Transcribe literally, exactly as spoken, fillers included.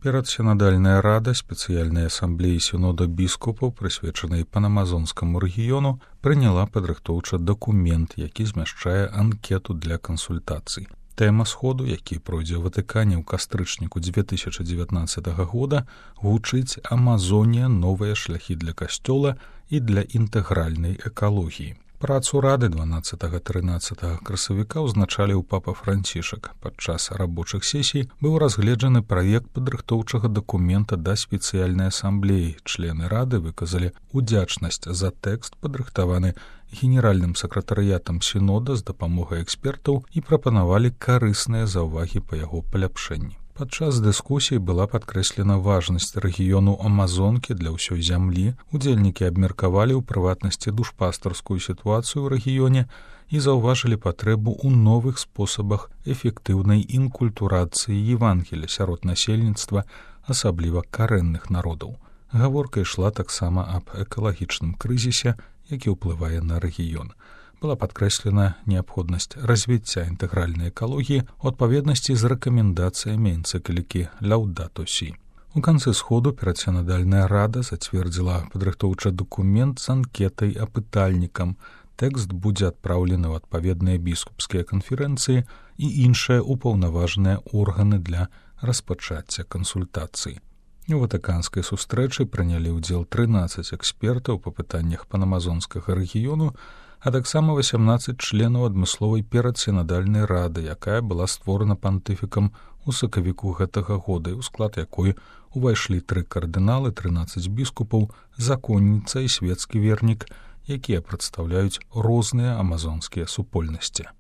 Перадсінадальная рада спецыяльнай асамблеі сінода біскупаў, прысвечанай панамазонскаму рэгіёну, прыняла падрыхтоўчы дакумент, які змяшчае анкету для кансультацый. Тэма сходу, які пройдзе ў Ватыкане ў кастрычніку дзве тысячы дзевятнаццатага года, гучыць «Амазонія. Новыя шляхі для касцёла і для інтэгральнай экалогіі». Працу рады дванаццатага-трынаццатага красавіка ўзначаліў папа Францішак. Падчас рабочых сесій быў разгледжаны праект падрыхтоўчага дакумента да спецыяльнай асамблеі. Члены рады выказалі удзячнасць за тэкст, падрыхтаваны генеральным сакратарыятам сінода з дапамогай экспертаў, і прапанавалі карысныя заўвагі па яго паляпшэнні. Падчас дыскусіі была падкрэслена важнасць рэгіёну Амазонкі для ўсёй зямлі. Удзельнікі абмеркавалі ў прыватнасці душпастарскую сітуацыю ў рэгіёне і заўважылі патрэбу ў новых спосабах эфектыўнай інкультурацыі Евангелія сярод насельніцтва, асабліва карэнных народаў. Гаворка ішла таксама аб экалагічным крызісе, які ўплывае на рэгіён. Была падкрэслена неабходнасць развіцця інтэгральнай экалогіі ў адпаведнасці з рэкамендацыямі энцыклікі «Лаўдато Сі». У канцы сходу перадсінадальная рада зацвердзіла падрыхтоўчы дакумент з анкетай апытальнікам. Тэкст будзе адпраўлены ў адпаведныя біскупскія канферэнцыі і іншыя ўпаўнаважаныя органы для распачацця кансультацый. У ватыканскай сустрэчы прынялі ўдзел трынаццаць экспертаў па пытаннях панамазонскага рэгіёну, а таксама васямнаццаць членаў адмысловай перадсінадальнай рады, якая была створана пантыфікам у сакавіку гэтага года, і ў склад якой увайшлі тры кардыналы, трынаццаць біскупаў, законніца і свецкі вернік, якія прадстаўляюць розныя амазонскія супольнасці.